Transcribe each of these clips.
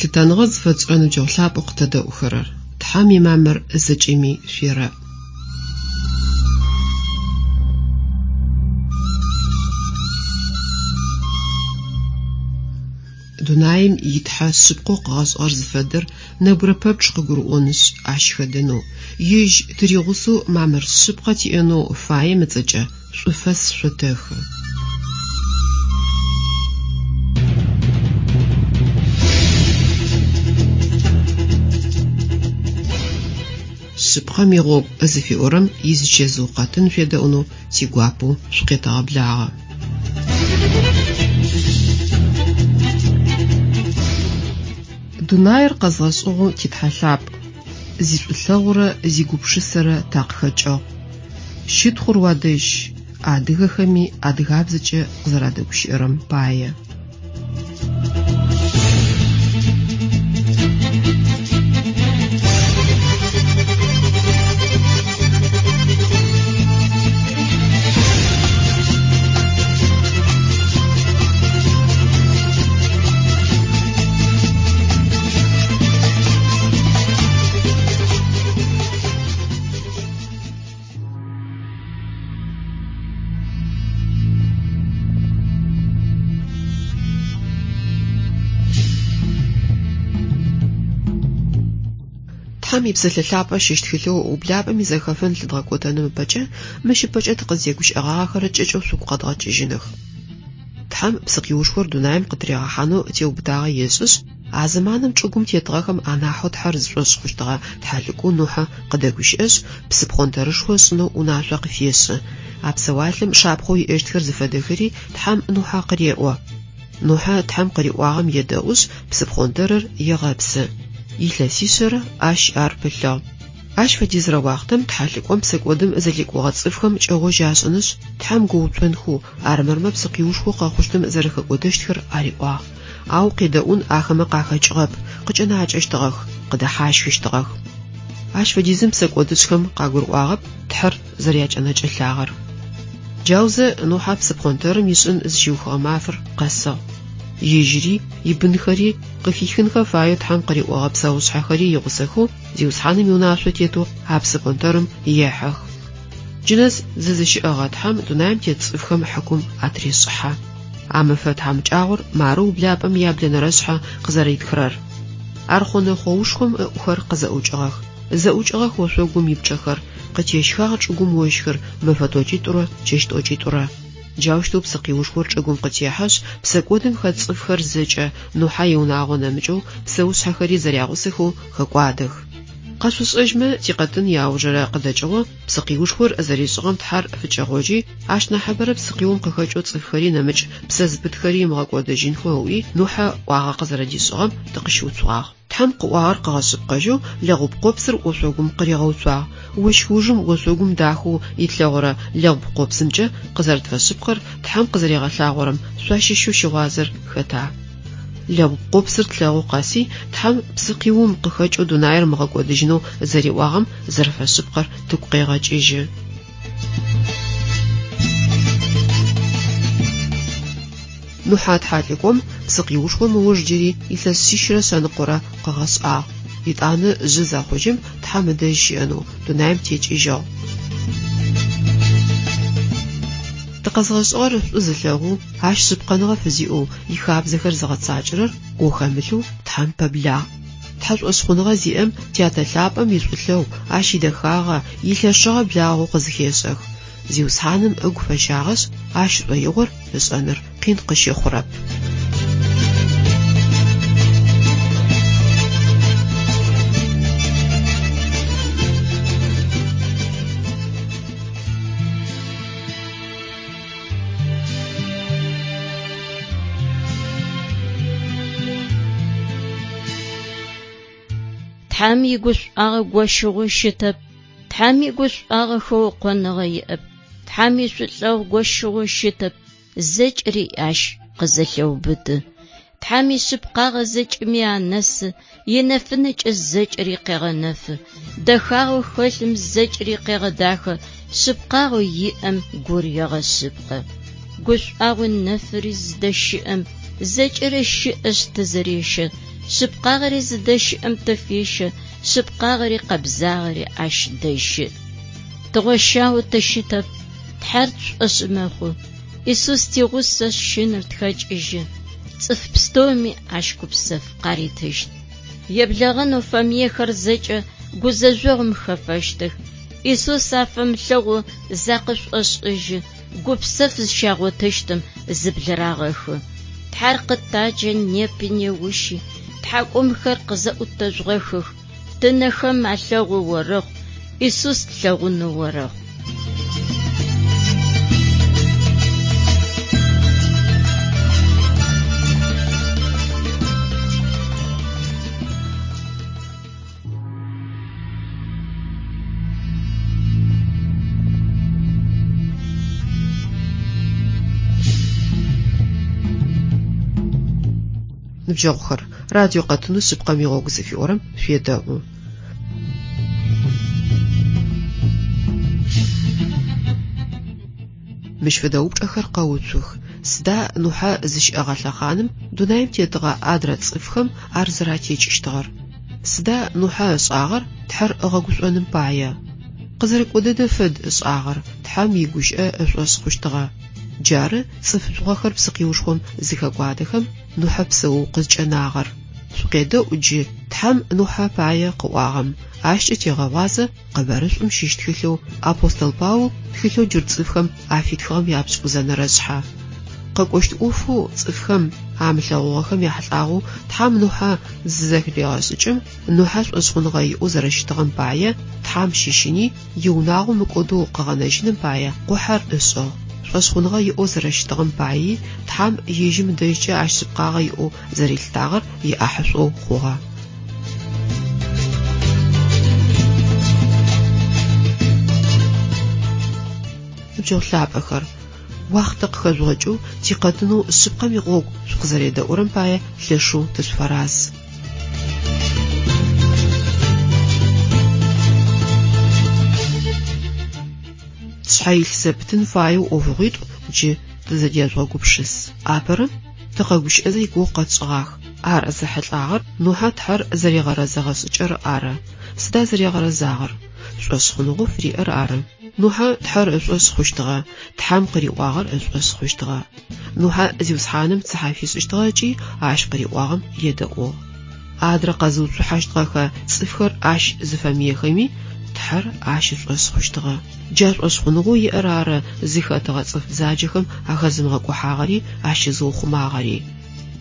Лъытэныгъэ зыфэтшӏырэ ныбджэгъу лъапӏэу къытэдэӏухэрэр! Тхьэм имамыр зэкӏэми шъуерэӏ! Дунаим и Тхьэ шъыпкъэу къыгъэшӏыгъэр зыфэдэр нэбгырэ пэпчъ къыгурыӏонышъ, ащ хэдэнэу, Ежь тыригъусэу мамыр шъыпкъэ тиӏэнэу фаем ыцӏэкӏэ шӏуфэс шъотэхы. Шъыпкъэм игъогу зыфиӏорэм изычэзыу къэтын шъуедэӏунэу тигуапэу шъукъетэгъэблагъэ. Дунаир къэзгъэшӏыгъэу ти Тхьэ лъапӏ, зишӏулъэгъурэ зигупшысэрэ такъыхэкӏыгъ. Щытхъур уадэжь, адыгэхэми адыгабзэкӏэ къызэрадэгущыӏэрэм пае. Тхьэм и Псэлъэ Лъапӏэ щыщ тхылъэу Ублапӏэм изэхэфын лъыдгъэкӏотэным ыпэкӏэ мыщ ыпэкӏэ тыкъызтегущыӏэгъагъэхэр кӏэкӏэу шъугу къэдгъэкӏыжьыных. Тхьэм псыкъиушхор дунаим къытыригъэхьанэу теубытагъэ ешӏышъ, а зэманым чӏыгум тетыгъэхэм анахьэу Тхьэр зышӏошъ хъущтыгъэ тхьэлӏыкӏоу Нухьэ къыдэгущыӏэшъ, псыпхъонтэрышхо ышӏынэу унашъо къыфешӏы. А псэуалъэм шапхъэу иӏэщтхэр зыфэдэхэри Тхьэм Нухьэ къыреӏо. Нухьэ Тхьэм къыриӏуагъэм едэӏушъ, псыпхъонтэрыр егъэпсы. Илъэсишъэрэ ащ ар пылъыгъ. Ащ фэдизрэ уахътэм тхьэлӏыкӏом псэкӏодым зэлъикӏугъэ цӏыфхэм кӏэгъожь ашӏынышъ, Тхьэм гоуцонхэу, армырмэ псыкъиушхоу къэхъущтым зэрэхэкӏодэщтхэр ариӏуагъ. Ау къедэӏун ахэмэ къахэкӏыгъэп, къыкӏэнакӏэщтыгъэх, къыдэхьащхыщтыгъэх. Ащ фэдизым псэкӏодышӏхэм къагурыӏуагъэп Тхьэр зэрякӏэнэкӏэлъагъэр. Джаузэ Нухьэ псыпхъонтэрым ишӏын зыщиухыгъэ мафэр къэсыгъ. Ежьыри, ибынхэри, къыхихынхэ фаеу Тхьэм къыриӏогъэ псэушъхьэхэри игъусэхэу Зиусхьаным иунашъо тетэу а псыпхъонтэрым ехьэх. Джынэс зызыщыӏэгъэ Тхьэм дунаим тет цӏыфхэм хьыкум атырешӏыхьэ. А мэфэ тхьамыкӏагъор мары ублапӏэм яблэнэрэшъхьэ къызэритхырэр. Архъунэ хъоушхом ыӏухэр къызэӏукӏыгъэх. Зэӏукӏыгъэх ошъогум ипчъэхэр, къытещхагъ чӏыгум ощхыр мэфэ тӏокӏитӏурэ чэщ тӏокӏитӏурэ. Джаущтэу псыкъиушхор чӏыгум къытехьэшъ, псэкӏодым хэт цӏыфхэр зэкӏэ, Нухьэ иунагъо нэмыкӏэу, псэушъхьэхэри зэрягъусэхэу хэкӏуадэх. Къэшъушӏэжьмэ, тикъэтын иаужырэ къыдэкӏыгъо псыкъиушхор зэришӏыгъэм Тхьэр фыкӏэгъожьи, ащ нахьыбэрэ псыкъиум къыхэкӏэу цӏыфхэри нэмыкӏ псэ зыпытхэри ымыгъэкӏодыжьынхэу ыӏуи, Нухьэ ӏуагъэ къызэрэдишӏыгъэм тыкъыщыуцугъагъ. Тхьэм къыӏуагъэр къыгъэшъыпкъэжьэу лэгъупкъопсыр ошъогум къыригъэуцуагъ. Ощх ужым ошъогум дахэу итлъэгъорэ лэгъупкъопсымкӏэ къызэрэтфэшъыпкъэр Тхьэм къызэригъэлъагъорэм шъуащыщэу щыгъуазэр хэта? Лэгъупкъопсыр тлъэгъу къэси Тхьэм псыкъиум къыхэкӏэу дунаир ымыгъэкӏодыжьынэу зэриӏуагъэм зэрэфэшъыпкъэр тыгу къегъэкӏыжьы. Нухьэ тхьэлӏыкӏом псыкъиушхом ыуж джыри илъэс шъищрэ шъэныкъорэ къыгъэшӏагъ. Етӏанэ жъы зэхъужьым Тхьэм ыдэжь щыӏэнэу дунаим текӏыжьыгъ. Тыкъэзгъэшӏыгъэр шӏу зылъэгъоу, Ащ шъыпкъэныгъэ фызиӏэу, ихабзэхэр зыгъэцакӏэрэр ӏо хэмылъэу Тхьэм пэблагъ. Тхьэшӏошъхъуныгъэ зиӏэм Тятэ лъапӏэм ишӏулъэгъу, Ащ идэхагъэ, илъэшыгъэ благъэу къызыхешӏэх. Зиусхьаным ыгу фэщагъэшъ, Ащ шӏоигъор ышӏэныр къин къыщыхъурэп. Тхьэм игушӏуагъэ гощыгъэу щытэп, Тхьэм игушӏуагъэ хэукъоныгъэ иӏэп, Тхьэм ишӏулъэгъу гощыгъэу щытэп, зэкӏэри ащ къызэлъеубыты. Тхьэм ишъыпкъагъэ зэкӏэми анэсы, инэфынэкӏэ зэкӏэри къегъэнэфы. Дэхагъэу хэлъым зэкӏэри къегъэдахэ, шъыпкъагъэу иӏэм гур егъэшъыпкъэ. Гушӏуагъуи нэфыри зыдэщыӏэм зэкӏэрэ щыӏэшъ тызэрещэ. Шъыпкъагъэри зыдэщыӏэм тыфещэ, шъыпкъагъэри къэбзагъэри ащ дэжь щыӏ. Тыгъощагъэу тыщытэп, Тхьэр тшӏошъ мэхъу. Исус тигъусэшъ, щынэр тхэкӏыжьы. Цӏыф пстэуми ащ гупсэф къаритыщт. Еблэгъэнэу фэмыехэр зэкӏэ гузэжъогъум хэфэщтых. Исус афэмылъэгъоу закъышӏошӏыжьы, гупсэф зыщагъотыщтым зыблырагъэхы. Тхьэр къытаджэ непи неущи, тхьакӏумхэр къызэӏутэжъугъэхых, тынэхэм алъэгъоу орэхъу, Исус тлъэгъунэу орэхъу. Ныбджэгъухэр, радио къэтынэу Шъыпкъэм игъогу зыфиӏорэм шъуедэӏу. Мыщ фэдэ упчӏэхэр къэуцух. Сыда Нухьэ зыщыӏэгъэ лъэхъаным дунаим тетыгъэ адрэ цӏыфхэм ар зэратекӏыщтыгъэр? Сыда Нухьэ ышӏагъэр Тхьэр ыгъэгушӏоным пае? Къызэрыкӏо дэдэ фэд ышӏагъэр, Тхьэм игущыӏэ ышӏошъ хъущтыгъэ. Джары цӏыф жъугъэхэр псыкъиушхом зыхэкӏуадэхэм Нухьэ псэоу къызкӏэнагъэр. Шъукъедэӏу джы Тхьэм Нухьэ пае къыӏуагъэм, ащкӏэ тегъэгъуазэ Къэбарышӏум щыщ тхылъэу Апостол Паул тхылъэу джурт цӏыфхэм афитхыгъэм япшӏыкӏузэнэрэ шъхьэ. Къэкӏощт ӏофэу цӏыфхэм амылъэгъугъэхэм яхьылӏагъэу Тхьэм Нухьэ зызэхырегъэшӏыкӏым, Нухьэ шӏошъхъуныгъэ иӏэу зэрэщытыгъэм пае, Тхьэм щыщыни, иунагъо мыкӏодэу къыгъэнэжьыным пае къухьэр ышӏыгъ. Шӏошъхъуныгъэ иӏэу зэрэщытыгъэм паий Тхьэм ежьым ыдэжькӏэ ащ шъыпкъагъэ иӏэу зэрилъытагъэр иӏахьышӏоу хъугъэ. Ныбджэгъу лъапӏэхэр, уахътэ къыхэжъугъэкӏэу тикъэтынэу Шъыпкъэм игъогу шъукъызэредэӏурэм пае лъэшэу тышъуфэраз. Тшъхьэ илъ зэпытын фаеу ӏофыгъуитӏу джы тызэдежъугъэгупшыс. Апэрэм тыкъэгущыӏэзэ игугъу къэтшӏыгъах. Ар зэхьылӏагъэр Нухьэ Тхьэр зэригъэрэзэгъэ шӏыкӏэр ары. Сыда зэригъэрэзагъэр? Шӏошъхъуныгъэу фыриӏэр ары. Нухьэ Тхьэр ышӏошъ хъущтыгъэ, Тхьэм къыриӏуагъэр ышӏошъ хъущтыгъэ. Нухьэ Зиусхьаным цыхьэ фишӏыщтыгъэ ыкӏи ащ къыриӏуагъэм едэӏугъ. Адрэ къэзыуцухьащтыгъэхэ цӏыфхэр ащ зыфэмыехэми, Тхьэр ащ ышӏошъ хъущтыгъэ. Джа шӏошъхъуныгъэу иӏэр ары зыхэтыгъэ цӏыф бзаджэхэм ахэзымыгъэкӏухьагъэри ащызыухъумагъэри.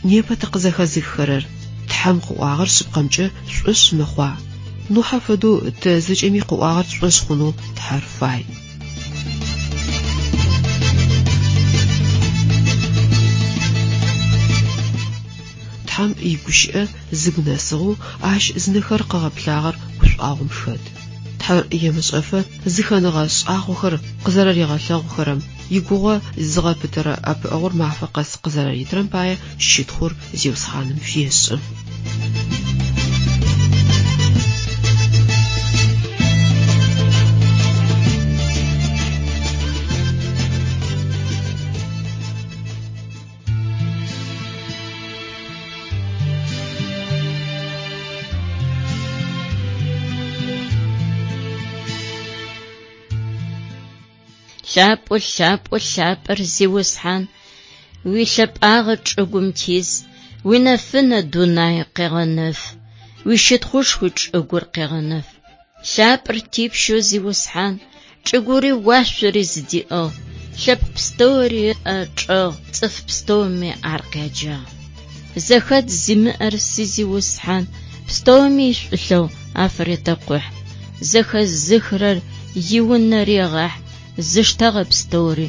Непэ тыкъызэхэзыххэрэр, Тхьэм къыӏуагъэр шъыпкъэмкӏэ шъушӏошъ мэхъуа? Нухьэ фэдэу тэ зэкӏэми къыӏуагъэр тшӏошъ хъунэу Тхьэр фай. Тхьэм игущыӏэ зыгу нэсыгъэу, ащ зынэхэр къыгъэплъагъэр гушӏуагъом хэт. Тхьэр емышӏэфэ зыхэныгъэ шӏагъохэр къызэрэригъэлъэгъухэрэм, игугъэ зыгъэпытэрэ ӏэпыӏэгъур мафэ къэс къызэрэритырэм пае щытхъур Зиусхьаным фешӏы. Лъапӏэу, лъапӏэу, лъапӏэр Зиусхьан, уилъэпӏагъэ чӏыгум тиз, уинэфынэ дунай къегъэнэф, уищытхъушхуи чӏыгур къегъэнэф. Лъапӏэр типщэу Зиусхьан, чӏыгури уашъори зыдиӏыгъ, лъэпкъ пстэури ыӏэ чӏэгъ, цӏыф пстэуми ар къяджагъ. Зэхэдз зимыӏэр си Зиусхьан, пстэуми ишӏулъэгъу афыретэкъухь, зэхэзыхырэр иунэ регъахь, зыштэгъэ пстэури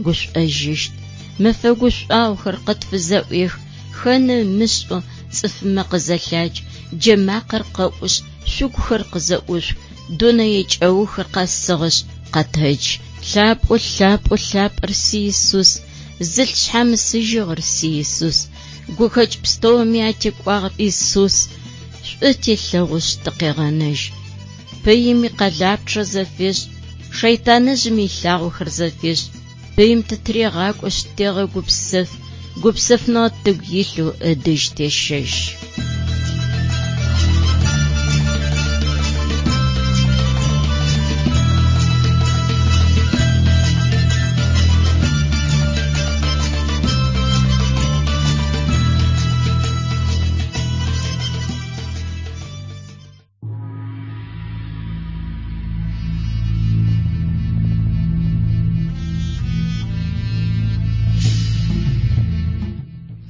гушӏожьыщт. Мэфэ гушӏуагъохэр къытфызэӏуех, хэны ымышӏэу цӏыфмэ къызэлъадж, джэмакъэр къэӏушъ, шъугухэр къызэӏушъух, дунэе кӏэухыр къэсыгъэшъ, къэтэдж. Лъапӏэу, лъапӏэу, лъапӏэр си Исус, зылъ шъхьамысыжьыгъэр си Исус, гухэкӏ пстэуми атекӏуагъэр Исус, шӏу телъэгъушъ тыкъегъэнэжь. Пыим икъэлапчъэ зэфешӏ, шэйтаныжъым илъагъохэр зэфешӏ, пыим тытырегъакӏошъ тегъэгупсэф, гупсэфныгъэ тыгу илъэу ыдэжь тещэжь.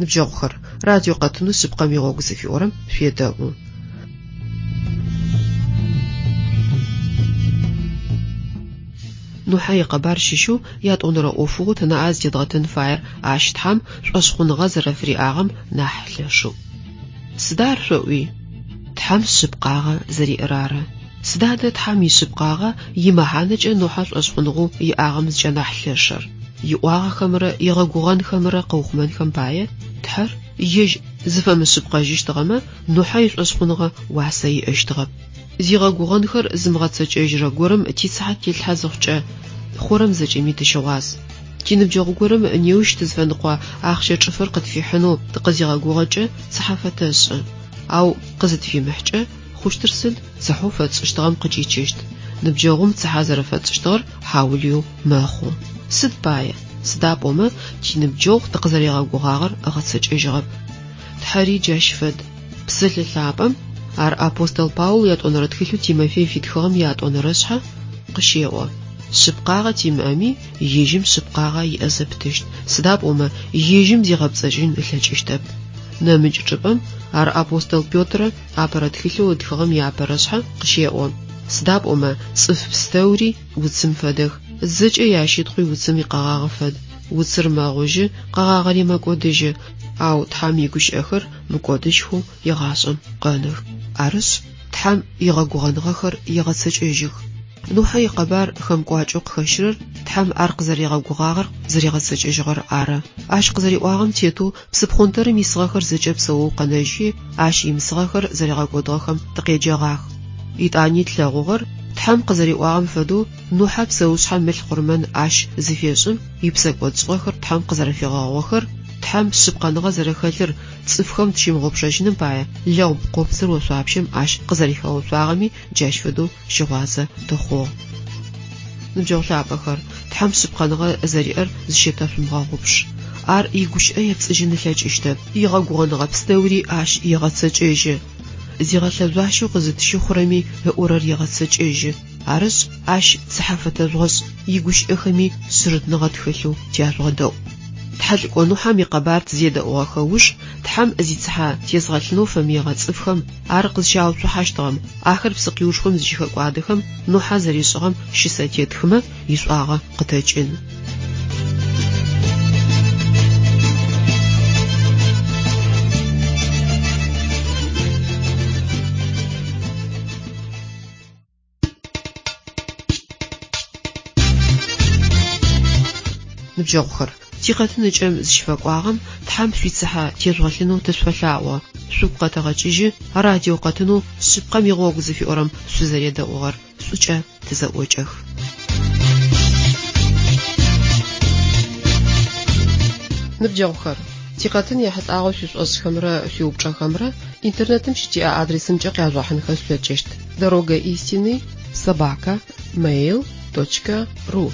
Ныбджэгъухэр, радио къэтынэу Шъыпкъэм игъогу зыфиӏорэм шъуедэӏу. Нухьэ икъэбар щыщэу ятӏонэрэ ӏофыгъоу тынаӏэ зытедгъэтын фаер ащ Тхьэм шӏошъхъуныгъэ зэрэфыриӏагъэм нахь лъэшэу. Сыда ар шъоӏуи? Тхьэм шъыпкъагъэ зэриӏэр ары. Сыда адэ Тхьэм ишъыпкъагъэ имэхьанэкӏэ Нухьэ шӏошъхъуныгъэу иӏагъэм зыкӏэнахь лъэшэр? Иӏуагъэхэмрэ игъэгугъэнхэмрэ къыухъумэнхэм пае Тхьэр ежь зыфэмышъыпкъэжьыщтыгъэмэ, Нухьэ ишӏошъхъуныгъэ уасэ иӏэщтыгъэп. Зигъэгугъэнхэр зымыгъэцэкӏэжьырэ горэм тицыхьэ тетлъхьэ зыхъукӏэ, хъурэм зэкӏэми тыщыгъуаз. Тиныбджэгъу горэм неущ тызфэныкъо ахъщэ чӏыфэр къытфихьынэу тыкъызигъэгугъэкӏэ цыхьэ фэтэшӏы. Ау къызытфимыхькӏэ, хъущтыр сыд? Цыхьэу фэтшӏыщтыгъэм къыкӏичыщт. Ныбджэгъум цыхьэ зэрэфэтшӏыщтыгъэр хьаулыеу мэхъу. Сыд пае? Сыда пӏомэ тиныбджэгъу тыкъызэригъэгугъагъэр ыгъэцэкӏэжьыгъэп. Тхьэри джащ фэд. Псэлъэ лъапӏэм, ар апостол Паул ятӏонэрэ тхылъэу Тимофей фитхыгъэм ятӏонэрэшъхьэ къыщеӏо. Шъыпкъагъэ тимыӏэми, ежьым шъыпкъагъэ иӏэ зэпытыщт, сыда пӏомэ ежьым зигъэпцӏэжьын ылъэкӏыщтэп. Нэмыкӏ чӏыпӏэм, ар апостол Петрэ апэрэ тхылъэу ытхыгъэм иапэрэшъхьэ къыщеӏо. Сыда пӏомэ цӏыф пстэури уцым фэдэх, зэкӏэ ящытхъуи уцым икъэгъагъэ фэд. Уцыр мэгъужьы, къэгъагъэри мэкӏодыжьы, ау Тхьэм игущыӏэхэр мыкӏодыжьхэу егъашӏэм къэнэх. Арышъ, Тхьэм игъэгугъэныгъэхэр егъэцэкӏэжьых. Нухьэ икъэбар хэмкӏуакӏэу къыхэщырэр Тхьэм ар къызэригъэгугъагъэр зэригъэцэкӏэжьыгъэр ары. Ащ къызэриӏуагъэм тетэу псыпхъонтэрым исыгъэхэр зэкӏэ псэоу къэнэжьхи, ащ имысыгъэхэр зэригъэкӏодыгъэхэм тыкъеджэгъах. Етӏани тлъэгъугъэр, Тхьэм къызэриӏуагъэм фэдэу Нухьэ псэушъхьэм ылъ къурмэн ащ зыфешӏым, ипсэкӏодшӏыгъэхэр Тхьэм къызэрэфигъэгъугъэхэр, Тхьэм шъыпкъэныгъэ зэрэхэлъыр цӏыфхэм тщымыгъупшэжьыным пае лэгъупкъопсыр ошъуапщэм ащ къызэрихэгъэуцуагъэми джащ фэдэу щыгъуазэ тыхъугъ. Ныбджэгъу лъапӏэхэр, Тхьэм шъыпкъэныгъэ зэриӏэр зыщетэшъумыгъэгъупш. Ар игущыӏэ епцӏыжьын ылъэкӏыщтэп, игъэгугъэныгъэ пстэури ащ егъэцэкӏэжьы. Зигъэлъэжъуащэу къызытщыхъурэми ыӏорэр егъэцэкӏэжьы. Арышъ, ащ цыхьэ фэтэжъугъэшӏ, игущыӏэхэми шъырытныгъэ тхэлъэу тяжъугъэдэӏу. Тхьэлӏыкӏо Нухьэм икъэбар тызедэӏугъэхэ уж, Тхьэм зицыхьэ тезгъэлъынэу фэмыегъэ цӏыфхэм ар къызщауцухьащтыгъэм, ахэр псыкъиушхом зыщыхэкӏуадэхэм Нухьэ зэришӏыгъэм щысэ тетхымэ, ишӏуагъэ къытэкӏын. Ныбджэгъухэр, тикъэтын ыкӏэм зыщыфэкӏуагъэм Тхьэм шъуицыхьэ тежъугъэлъынэу тышъуфэлъаӏо. Шъугу къэтэгъэкӏыжьы радио къэтынэу Шъыпкъэм игъогу зыфиӏорэм шъузэредэӏугъэр. Шӏукӏэ тызэӏокӏэх. Ныбджэгъухэр, тикъэтын ехьылӏагъэу шъуишӏошӏхэмрэ шъуиупчӏэхэмрэ интернетым щытиӏэ адресымкӏэ къяжъугъэхьынхэ шъулъэкӏыщт: Дорога истины собака mail точка ру.